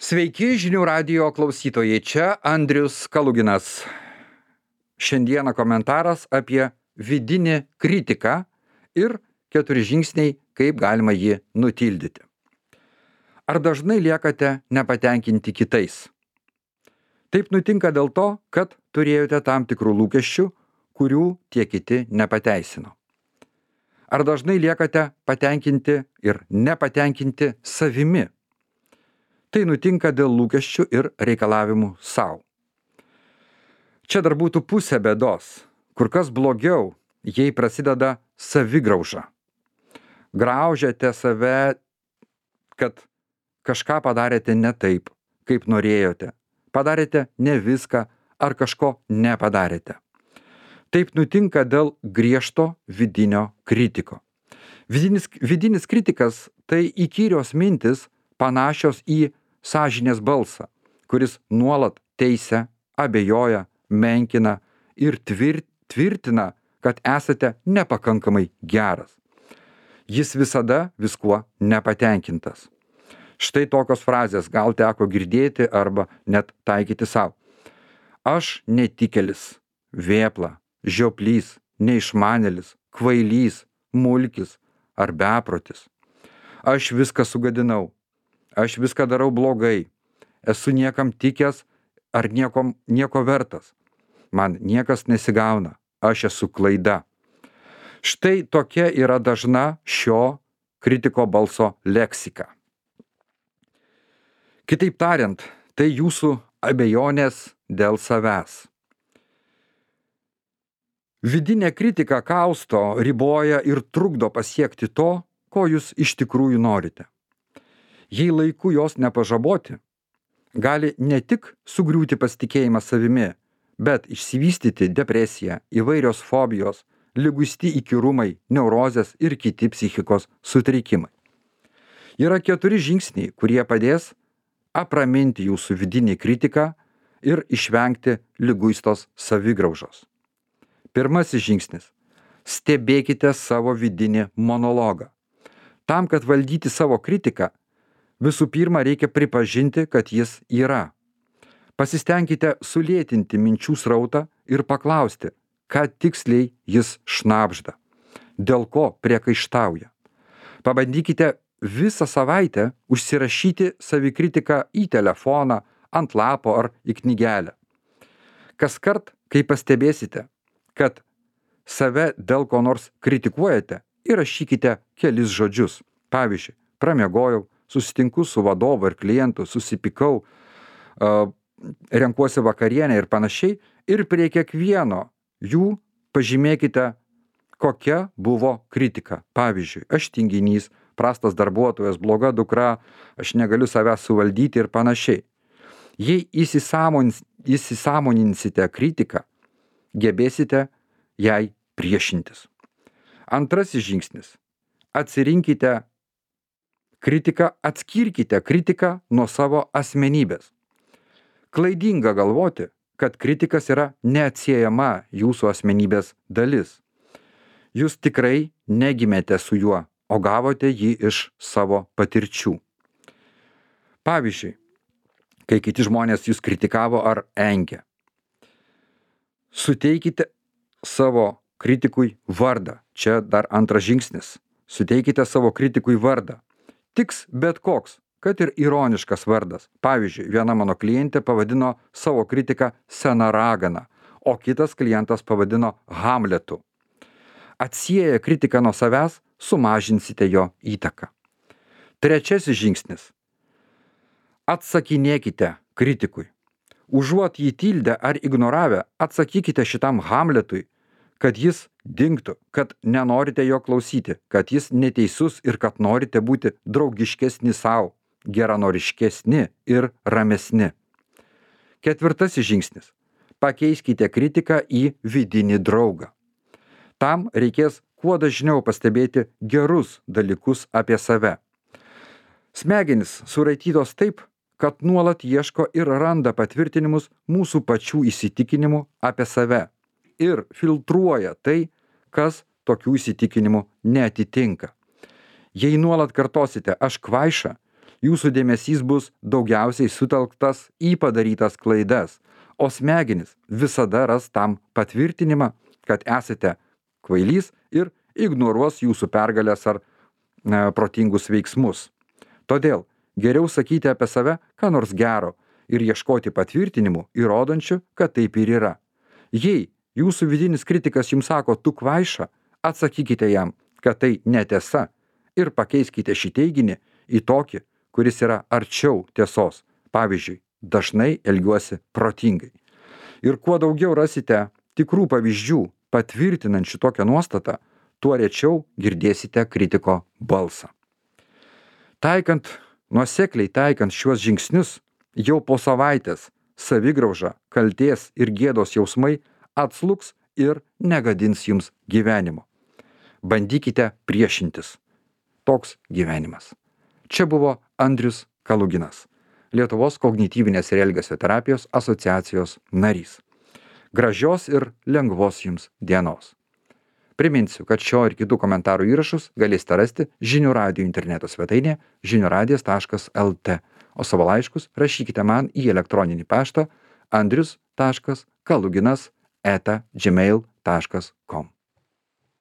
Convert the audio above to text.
Sveiki žinių radijo klausytojai, čia Andrius Kaluginas. Šiandieną komentaras apie vidinį kritiką ir 4 žingsniai, kaip galima jį nutildyti. Ar dažnai liekate nepatenkinti kitais? Taip nutinka dėl to, kad turėjote tam tikrų lūkesčių, kurių tie kiti nepateisino. Ar dažnai liekate patenkinti ir nepatenkinti savimi? Tai nutinka dėl lūkesčių ir reikalavimų savo. Čia dar būtų pusė bėdos, kur kas blogiau, jei prasideda savigrauža. Graužiate save, kad kažką padarėte ne taip, kaip norėjote, padarėte ne viską ar kažko nepadarėte. Taip nutinka dėl griežto vidinio kritiko. Vidinis kritikas tai įkyrios mintis, panašios į sąžinės balsą, kuris nuolat teisia, abejoja, menkina ir tvirtina, kad esate nepakankamai geras. Jis visada viskuo nepatenkintas. Štai tokios frazės gal teko girdėti arba net taikyti savo. Aš netikėlis, vėpla, žioplys, neišmanėlis, kvailys, mulkis ar beprotis. Aš viską sugadinau. Aš viską darau blogai, esu niekam tikęs ar nieko vertas. Man niekas nesigauna, aš esu klaida. Štai tokia yra dažna šio kritiko balso leksika. Kitaip tariant, tai jūsų abejonės dėl savęs. Vidinė kritika kausto, riboja ir trukdo pasiekti to, ko jūs iš tikrųjų norite. Jei laiku jos nepažaboti, gali ne tik sugriūti pasitikėjimas savimi, bet išsivystyti depresija, įvairios fobijos, liguisti įkyrumai, neurozės ir kiti psichikos sutrikimai. Yra 4 žingsniai, kurie padės apraminti jūsų vidinį kritiką ir išvengti liguistos savigraužos. Pirmasis žingsnis. Stebėkite savo vidinį monologą. Tam, kad valdyti savo kritiką, visų pirma, reikia pripažinti, kad jis yra. Pasistengkite sulėtinti minčių srautą ir paklausti, ką tiksliai jis šnabžda, dėl ko priekaištauja. Pabandykite visą savaitę užsirašyti savikritiką į telefoną, ant lapo ar į knygelę. Kaskart, kai pastebėsite, kad save dėl ko nors kritikuojate, įrašykite kelis žodžius. Pavyzdžiui, pramiegojau, susitinku su vadovu ir klientu, susipykau, renkuosi vakarienę ir panašiai, ir prie kiekvieno jų pažymėkite, kokia buvo kritika. Pavyzdžiui, aš tinginys, prastas darbuotojas, bloga dukra, aš negaliu savęs suvaldyti ir panašiai. Jei įsisąmoninsite kritiką, gebėsite jai priešintis. Antrasis žingsnis. Atsirinkite kritiką, atskirkite kritiką nuo savo asmenybės. Klaidinga galvoti, kad kritikas yra neatsiejama jūsų asmenybės dalis. Jūs tikrai negimėte su juo, o gavote jį iš savo patirčių. Pavyzdžiui, kai kiti žmonės jūs kritikavo ar engė, suteikite savo kritikui vardą. Čia dar antras žingsnis. Suteikite savo kritikui vardą. Tiks bet koks, kad ir ironiškas vardas. Pavyzdžiui, viena mano klientė pavadino savo kritiką sena ragana, o kitas klientas pavadino Hamletu. Atsieję kritiką nuo savęs, sumažinsite jo įtaką. Trečiasis žingsnis. Atsakinėkite kritikui. Užuot jį tildę ar ignoravę, atsakykite šitam Hamletui, kad jis dingtų, kad nenorite jo klausyti, kad jis neteisus ir kad norite būti draugiškesni savo, geranoriškesni ir ramesni. Ketvirtasis žingsnis. Pakeiskite kritiką į vidinį draugą. Tam reikės kuo dažniau pastebėti gerus dalykus apie save. Smegenys suraitytos taip, kad nuolat ieško ir randa patvirtinimus mūsų pačių įsitikinimų apie save ir filtruoja tai, kas tokių įsitikinimų neatitinka. Jei nuolat kartosite aš kvaiša, Jūsų dėmesys bus daugiausiai sutelktas į padarytas klaidas, o smegenys visada ras tam patvirtinimą, kad esate kvailys ir ignoruos jūsų pergalės ar protingus veiksmus. Todėl geriau sakyti apie save ką nors gero ir ieškoti patvirtinimų, įrodančių, kad taip ir yra. Jei jūsų vidinis kritikas jums sako, tu kvaiša, atsakykite jam, kad tai netiesa ir pakeiskite šį teiginį į tokį, kuris yra arčiau tiesos. Pavyzdžiui, dažnai elgiuosi protingai. Ir kuo daugiau rasite tikrų pavyzdžių patvirtinančių tokią nuostatą, tuo rečiau girdėsite kritiko balsą. Nuosekliai taikant šiuos žingsnius, jau po savaitės savigrauža, kaltės ir gėdos jausmai atslūgs ir negadins jums gyvenimo. Bandykite priešintis. Toks gyvenimas. Čia buvo Andrius Kaluginas, Lietuvos kognityvinės ir elgesio terapijos asociacijos narys. Gražios ir lengvos jums dienos. Priminsiu, kad šio ir kitų komentarų įrašus galėsite rasti Žinių radijo interneto svetainėje žiniuradijas.lt, o savo laiškus rašykite man į elektroninį paštą andrius.kaluginas@gmail.com.